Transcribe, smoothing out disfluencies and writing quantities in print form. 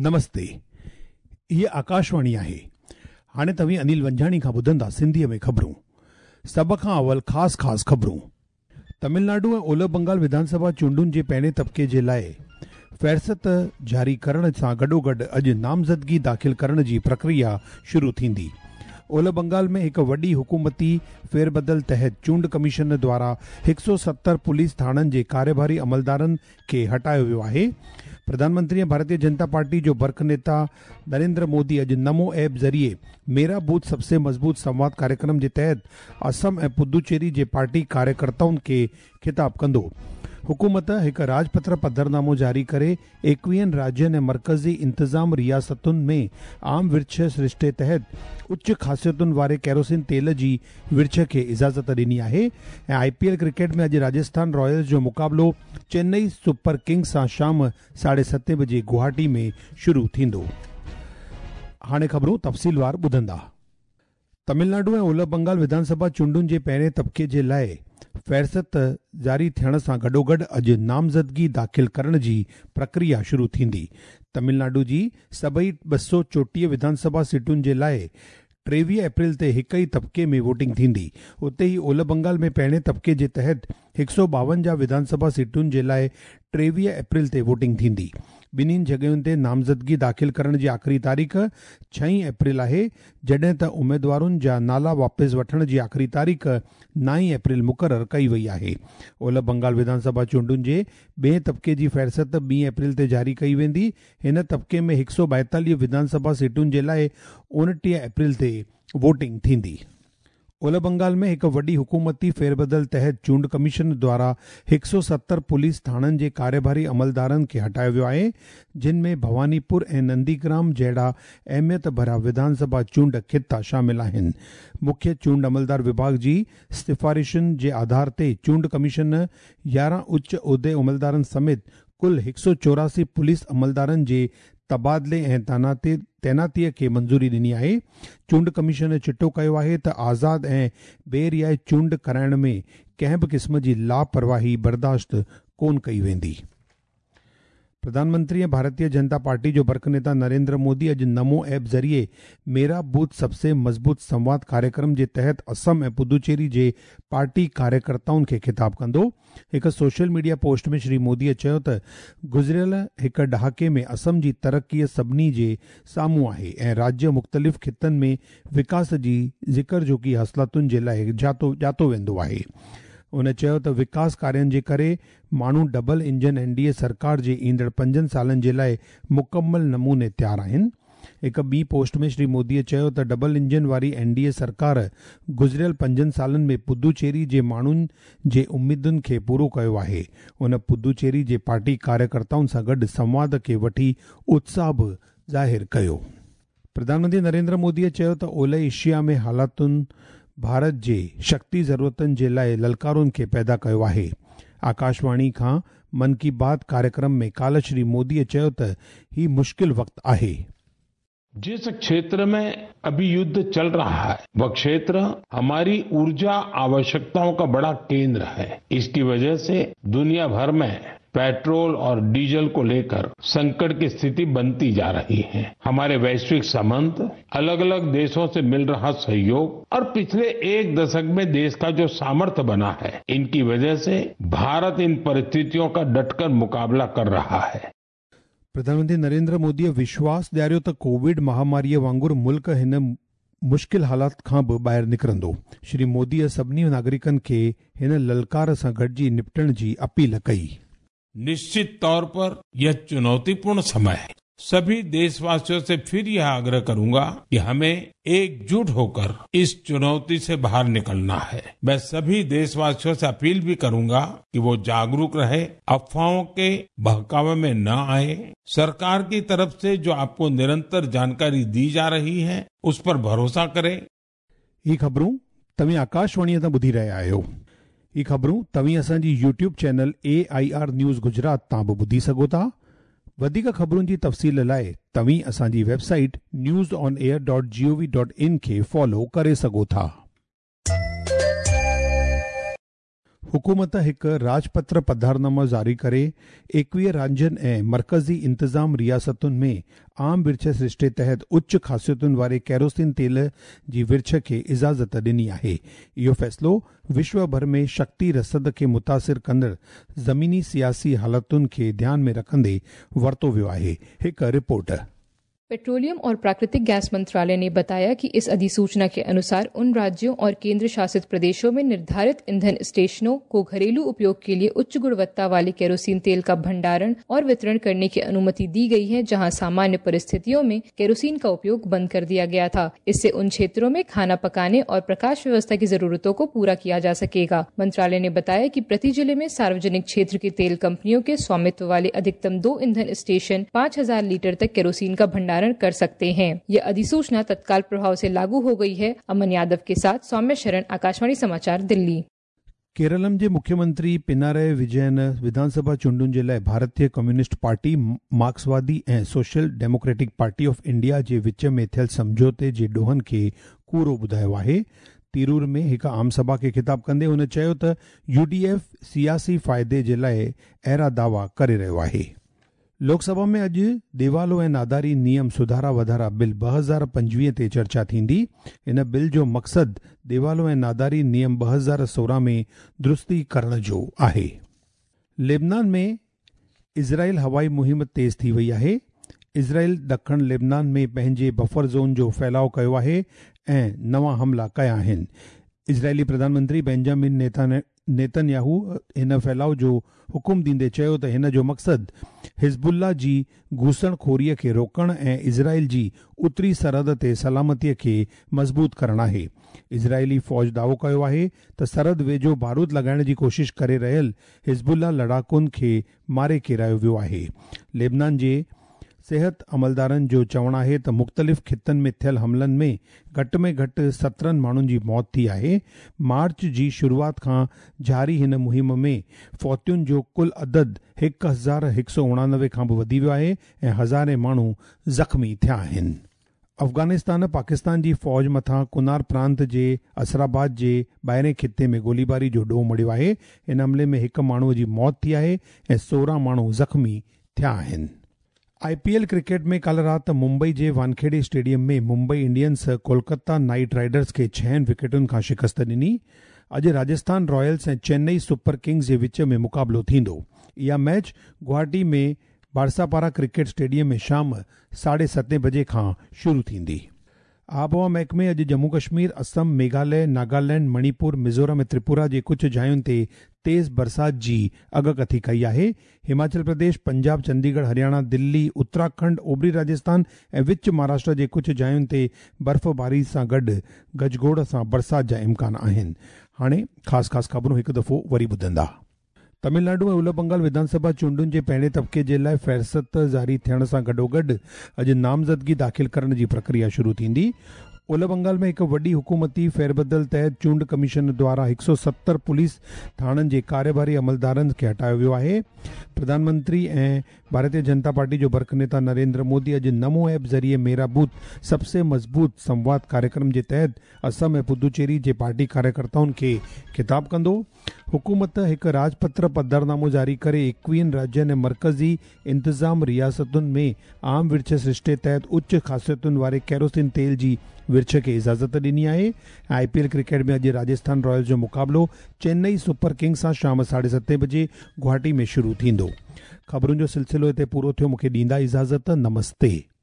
نمستي هيء آڪاشواڻي آهي. هاڻي توهين انيل ونجهاڻي کان ٻڌندا سنڌيء ۾ خبرون. سڀ کان اول خاص خاص خبرون. تمل ناڊو ۽ اولهه بنگال وڌان سڀا چونڊن جي پهرين طبقي جي لاء فهرست جاري ڪرڻ سان گڏوگڏ اڄ نامزدگي داخل ڪرڻ جي پرڪريا شروع ٿيندي. اولهه بنگال ۾ هڪ وڏي حڪومتي ڦيربدل تحت چونڊ ڪميشن دوارا 170 پوليس ٿاڻن جي ڪاريڀاري عملدارن کي هٽايو ويو آهي. پرڌان منتري ۽ ڀارتيه جنتا پارٽي جو برک نيتا نريندر مودي اڄ نمو ايپ ذريعي ميرا بوٿ سب سي مضبوط سنواد ڪاريڪرم جي تحت اسم ۽ پدوچيري جي پارٽي ڪاريڪرتائن کي خطاب ڪندو. حڪومت هڪ راڄپتر پڌرنامو جاري ڪري ايڪويهن راجين ۽ مرڪزي انتظام رياستن ۾ عام ورڇ سرشتي تحت اچ خاصيتن واري ڪيروسين تيل جي ورڇ کي اجازت ڏني آهي ۽ آء پي ايل ڪرڪيٽ ۾ اڄ راجسٿان رائلز جو مقابلو چنئي سپر ڪنگز سان شام ساڍي ستين بجي گوهاٽي ۾ شروع ٿيندو. هاڻي خبرون تفصيلوار ٻڌندا. تمل ناڊو ۽ اولهه بنگال وڌان سڀا چونڊن جي پهرين طبقي جي لاء فهرست جاري ٿيڻ سان گڏوگڏ اڄ نامزدگي داخل ڪرڻ جي پرڪريا شروع ٿيندي. تمل ناڊو جي سڀئي 234 وڌان سڀا سيٽن جي لاء 23 اپريل تي هڪ ئي طبقي ۾ ووٽنگ ٿيندي. اتي ئي اولهه بنگال ۾ پهرين طبقي جي تحت 152 وڌان سڀا سيٽن جي لاء 23 اپريل تي ووٽنگ ٿيندي. ٻنهين جڳهين تي نامزدگي داخل ڪرڻ جي آخري تاريخ ڇهين اپريل آهي، جڏهن ته اميدوارن جا نالا واپس وٺڻ جي آخري تاريخ نائين اپريل مقرر ڪئي وئي آهي. اولهه بنگال وڌان سڀا چونڊن جي ٻئين طبقي جي فهرست ٻين اپريل تي جاري ڪئي ويندي. هن طبقي ۾ 142 وڌان سڀا سيٽن جي لاء 29 اپريل تي ووٽنگ ٿيندي. اولهه بنگال ۾ هڪ وڏي حڪومتي ڦيربدل تحت چونڊ ڪميشن دوارا 170 پوليس ٿاڻن جي ڪاريڀاري عملدارن کي هٽايو ويو آهي، جن ۾ ڀواني پور ۽ ننديگرام جهڙا اهميت ڀريا وڌان سڀا چونڊ خطا شامل آهن. مکيه چونڊ عملدار وڀاڳ جي سفارشن جي آڌار تي چونڊ ڪميشن 11 اچ عهدي عملدارن سميت ڪل 184 پوليس عملدارن جي تبادلي ۽ تعيناتيء کي منظوري ڏني آهي. چونڊ ڪميشن چٽو ڪيو آهي ته آزاد ۽ بي ريائي چونڊ ڪرائڻ ۾ ڪنهن به قسم جي لاپرواهي برداشت ڪونه ڪئي ويندي. پرڌان منتري ۽ ڀارتيه جنتا پارٽي جو برک نيتا نريندر مودي اڄ نمو ايپ ذريعي ميرا بوٿ سب سي مضبوط سنواد ڪاريڪرم جي تحت اسم ۽ پدوچيري جي پارٽي ڪاريڪرتائن کي خطاب ڪندو. هڪ social media post ۾ Shri Modi چيو ته گذريل هڪ ڏهاڪي ۾ اسم جي ترقي سڀني جي سامهون آهي ۽ راجيه مختلف خطن ۾ وڪاس جي ذڪر جوڳي حاصلاتن جي لاء ڄاتو ويندو آهي. هن چيو ته وڪاس ڪارين جي ڪري ماڻهو double engine N D A سرڪار جي ايندڙ پنجن سالن جي لاء مڪمل نموني تيار آهن. هڪ ٻي پوسٽ ۾ شري مودي چيو ته ڊبل انجن واري اين ڊي اي سرڪار گذريل پنجن سالن ۾ پدوچيري جي ماڻهن جي اميدن کي پورو ڪيو آهي. هن پدوچيري جي پارٽي ڪاريڪرتائن سان گڏ سنواد کي وٺي اتساهه به ظاهر ڪيو. پرڌان منتري نريندر مودي چيو ته اولهه ايشيا ۾ حالاتن ڀارت جي شڪتي ضرورتن جي لاء للڪارن کي پيدا ڪيو آهي. آڪاشواڻي کان من ڪي بات ڪاريڪرم ۾ ڪالهه شري مودي چيو ته هي مشڪل وقت آهي. जिस क्षेत्र में अभी युद्ध चल रहा है वह क्षेत्र हमारी ऊर्जा आवश्यकताओं का बड़ा केंद्र है। इसकी वजह से दुनिया भर में पेट्रोल और डीजल को लेकर संकट की स्थिति बनती जा रही है। हमारे वैश्विक संबंध, अलग अलग देशों से मिल रहा सहयोग और पिछले एक दशक में देश का जो सामर्थ्य बना है, इनकी वजह से भारत इन परिस्थितियों का डटकर मुकाबला कर रहा है। प्रधानमंत्री नरेंद्र मोदीअ विश्वास ॾियारियो त कोविड महामारीअ वांगुरु मुल्क हिन मुश्किल हालात खां बि ॿाहिरि निकिरंदो। श्री मोदीअ सभिनी नागरिकनि खे हिन ललकार सां गॾिजी निपटण जी अपील कई। निश्चित तौर पर यह चुनौतीपूर्ण समय है। सभी देशवासियों से फिर यह आग्रह करूंगा कि हमें एकजुट होकर इस चुनौती से बाहर निकलना है। मैं सभी देशवासियों से अपील भी करूंगा कि वो जागरूक रहे, अफवाहों के बहकावे में न आए। सरकार की तरफ से जो आपको निरंतर जानकारी दी जा रही है उस पर भरोसा करें। ही ख़बरूं तव्हीं आकाशवाणीअ तां ॿुधी रहिया आहियो। ही ख़बरूं तव्हीं असांजी YouTube channel A I R news Gujarat तां बि ॿुधी सघो था। वधीक ख़बरुनि जी तफ़सील लाइ तव्हीं असांजी website news on air dot G O V dot in खे फॉलो करे सघो था। حڪومت هڪ راڄپتر پڌرنامو جاري ڪري 21 راجين ۽ مرڪزي انتظام رياستن ۾ عام ورڇ سرشتي تحت اچ خاصيتن واري ڪيروسين تيل جي ورڇ کي اجازت ڏني آهي. اهو فيصلو وشو ڀر ۾ شڪتي رسد کي متاثر ڪندڙ زميني سياسي حالتن کي ڌيان ۾ رکندي ورتو ويو آهي. هڪ رپورٽ. पेट्रोलियम और प्राकृतिक गैस मंत्रालय ने बताया कि इस अधिसूचना के अनुसार उन राज्यों और केंद्र शासित प्रदेशों में निर्धारित ईंधन स्टेशनों को घरेलू उपयोग के लिए उच्च गुणवत्ता वाले केरोसिन तेल का भंडारण और वितरण करने की अनुमति दी गई है, जहां सामान्य परिस्थितियों में केरोसिन का उपयोग बंद कर दिया गया था। इससे उन क्षेत्रों में खाना पकाने और प्रकाश व्यवस्था की जरूरतों को पूरा किया जा सकेगा। मंत्रालय ने बताया कि प्रति जिले में सार्वजनिक क्षेत्र की तेल कंपनियों के स्वामित्व वाले अधिकतम 2 ईंधन स्टेशन 5000 लीटर तक केरोसिन का भंडारण कर सकते हैं। यह अधिसूचना तत्काल प्रभाव से लागू हो गई है। अमन यादव के साथ सौम्य शरण, आकाशवाणी समाचार, दिल्ली। केरलम जे मुख्यमंत्री पिनाराई विजयन विधानसभा चूंडुनि जे लाइ भारतीय कम्युनिस्ट पार्टी, मार्क्सवादी ऐं social democratic party of India जे विच में थियल सम्झौते जे ॾोहनि खे कूड़ो ॿुधायो आहे। तिरूर में हिकु आम सभा खे ख़िताब कंदे हुन चयो त यूडीएफ सियासी फ़ाइदे जे लाइ अहिड़ा दावा करे रहियो आहे। लोकसभा में अॼु देवालो ऐं नादारी नियम सुधारा वधारा बिल 2025 ते चर्चा थींदी। इन बिल जो मक़सदु देवालो ऐं नादारी नियम 2016 में दुरुस्ती करण जो आहे। लेबनान में इज़राइल हवाई मुहिम तेज़ थी वई आहे। इज़राइल ॾखण लेबनान में पंहिंजे बफर ज़ोन जो फैलाव कयो आहे ऐं नवां हमला कया आहिनि। इज़राइली प्रधानमंत्री बेंजामिन नेतन्याहू हिन फैलाव जो हुकुम ॾींदे चयो त हिन जो मक़सदु हिज़बुल्ला जी घूसणखोरीअ खे रोकण ऐं इज़राइल जी उत्तरी सरहद ते सलामतीअ खे मज़बूत करणु आहे। इज़राइली फ़ौज दावो कयो आहे त सरहद वेझो बारूद लॻाइण जी कोशिश करे रहियल हिज़बुल्ला लड़ाकुनि खे मारे किरायो वियो आहे। लेबनान जे सिहत अमलदारनि जो चवणु आहे त मुख़्तलिफ़ ख़ितनि में थियल हमलनि में घटि में घटि 17 माण्हुनि जी मौत थी आहे। मार्च जी शुरूआत खां जारी हिन मुहिम में फौतियुनि जो कुल अदद 1189 खां बि वधी वियो आहे ऐं हज़ारे माण्हू ज़ख़्मी थिया आहिनि। अफ़ग़ानिस्तान पाकिस्तान जी फ़ौज मथां कुनार प्रांत जे असराबाद जे ॿाहिरें ख़िते में गोलीबारी जो ॾोह मढ़ियो आहे। इन हमले में हिकु माण्हूअ जी मौत थी आहे ऐं 16 माण्हू ज़ख़्मी थिया आहिनि। आईपीएल क्रिकेट में कल राति मुंबई जे Wankhede stadium में Mumbai Indians Kolkata Knight Riders खे 6 विकेटुनि खां शिकस्त ॾिनी। अॼु राजस्थान रॉयल्स ऐं चेन्नई सुपर किंग्स जे विच में मुक़ाबिलो थींदो। इहा मैच गुवाहाटी में बारसापारा क्रिकेट स्टेडियम में शाम 7:30 बजे खां शुरू थींदी। आबहवा महकमे अॼु जम्मू कश्मीर, असम, मेघालय, नागालैंड, मणिपुर, मिज़ोरम ऐं त्रिपुरा जे कुझु जायुनि ते तेज़ बरसाति जी अगकथी कई आहे। हिमाचल प्रदेश, पंजाब, चंडीगढ़, हरियाणा, दिल्ली, उत्तराखंड, ओभरी राजस्थान ऐं विच महाराष्ट्र जे कुझु जायुनि ते बर्फ़बारी सां गॾु गजगोड़ सां बरसाति जा इम्कान आहिनि। हाणे ख़ासि ख़ासि ख़बरूं हिकु दफ़ो वरी ॿुधंदा। तमिलनाडु ऐं उलह बंगाल विधानसभा चूंडुनि जे पहिरें तबिके जे लाइ फ़हरिस्त जारी थियण सां गॾोगॾु अॼु नामज़दगी दाख़िल करण जी प्रक्रिया शुरू थींदी। उलह बंगाल में हिकु वॾी हुकूमती फेरबदल तहत चूंड कमीशन द्वारा 170 पुलिस थाणनि जे कार्यभारी अमलदारनि खे हटायो वियो आहे। प्रधानमंत्री ऐं भारतीय जनता पार्टी जो बर्क नेता नरेंद्र मोदी अॼु नमो ऐप ज़रिए मेरा बूथ सबसे मज़बूत संवाद कार्यक्रम जे तहत असम ऐं पुदुचेरी जे पार्टी कार्यकर्ताउनि खे ख़िताब कंदो। हुकूमत हिकु राजपत्र पधरनामो जारी करे 21 राज्यनि ऐं मर्कज़ी इंतज़ाम रियासतुनि में आम विर्छ सृष्टे तहत उच्च ख़ासियतुनि वारे केरोसिन तेल जी विर्छ खे इजाज़त ॾिनी आहे। आईपीएल क्रिकेट में अॼु राजस्थान रॉयल्स जो मुक़ाबिलो चेन्नई सुपर किंग्स सां शाम 7:30 बजे गुवाहाटी में शुरू थींदो। ख़बरुनि जो सिलसिलो हिते पूरो थियो। मूंखे ॾींदा इजाज़त। नमस्ते।